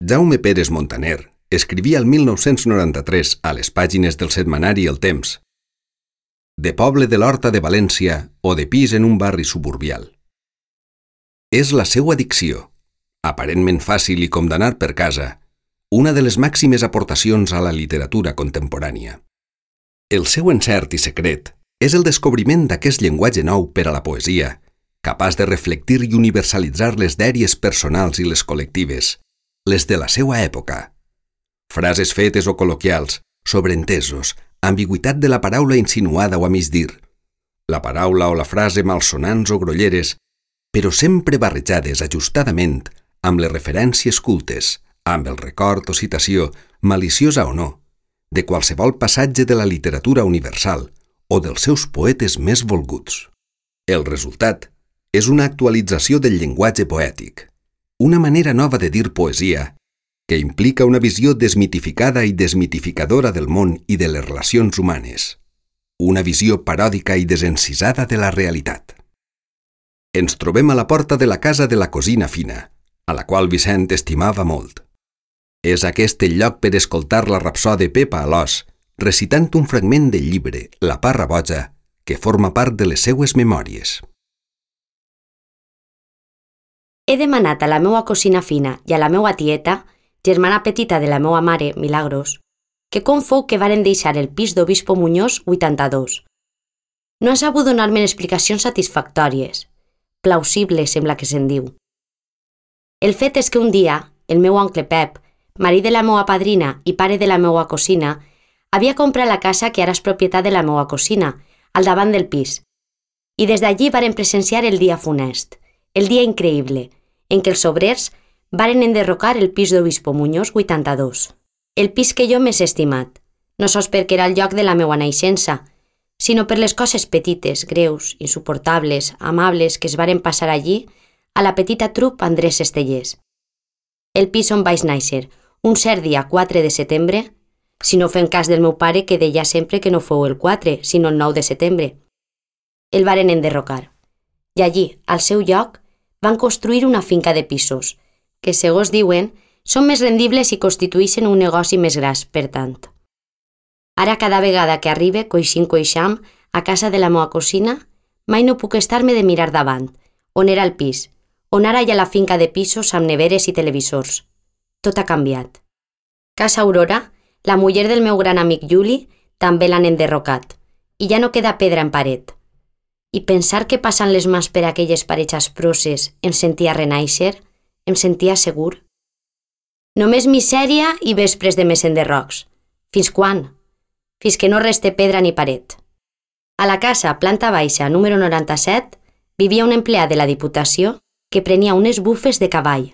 Jaume Pérez Montaner escrivia el 1993 a les pàgines del setmanari El Temps: de poble de l'Horta de València o de pis en un barri suburbial. És la seua dicció, aparentment fàcil i com d'anar per casa, una de les màximes aportacions a la literatura contemporània. El seu encert i secret és el descobriment d'aquest llenguatge nou per a la poesia, capaç de reflectir i universalitzar les dèries personals i les col·lectives, les de la seua època. Frases fetes o col·loquials, sobreentesos, ambigüitat de la paraula insinuada o a migdir, la paraula o la frase malsonants o grolleres, però sempre barrejades ajustadament amb les referències cultes, amb el record o citació, maliciosa o no, de qualsevol passatge de la literatura universal o dels seus poetes més volguts. El resultat és una actualització del llenguatge poètic, una manera nova de dir poesia que implica una visió desmitificada i desmitificadora del món i de les relacions humanes, una visió paròdica i desencisada de la realitat. Ens trobem a la porta de la casa de la cosina fina, a la qual Vicent estimava molt. És aquest el lloc per escoltar la rapsòdia Pepa Alòs, recitant un fragment del llibre La parra boja, que forma part de les seues memòries. He demanat a la meua cosina fina i a la meua tieta, germana petita de la meua mare, Milagros, que com fou que varen deixar el pis d'Obispo Muñoz 82. No ha sabut donar-me explicacions satisfactòries. Plausible sembla que se'n diu. El fet és que un dia, el meu oncle Pep, marit de la meua padrina i pare de la meua cosina, havia comprat la casa que ara és propietat de la meua cosina, al davant del pis. I des d'allí varen presenciar el dia funest, el dia increïble, en què els obrers varen enderrocar el pis d'Obispo Muñoz 82. El pis que jo m'he estimat, no sols perquè era el lloc de la meua naixença, sinó per les coses petites, greus, insuportables, amables que es varen passar allí a la petita trup Andrés Estellers. El pis on vaig néixer, un cert dia 4 de setembre, si no fem cas del meu pare que deia sempre que no fou el 4, sinó el 9 de setembre. El varen enderrocar. I allí, al seu lloc, van construir una finca de pisos, que, segons diuen, són més rendibles i constitueixen un negoci més gras, per tant. Ara, cada vegada que arribe, coixam, a casa de la meua cosina, mai no puc estar-me de mirar davant, on era el pis, on ara hi ha la finca de pisos amb neveres i televisors. Tot ha canviat. Casa Aurora, la muller del meu gran amic Juli, també l'han enderrocat, i ja no queda pedra en paret. I pensar que passant les mans per aquelles parets asproses em sentia renaixer, em sentia segur. Només misèria i vespres de més enderrocs. Fins quan? Fins que no reste pedra ni paret. A la casa, planta baixa, número 97, vivia un empleat de la Diputació que prenia unes bufes de cavall.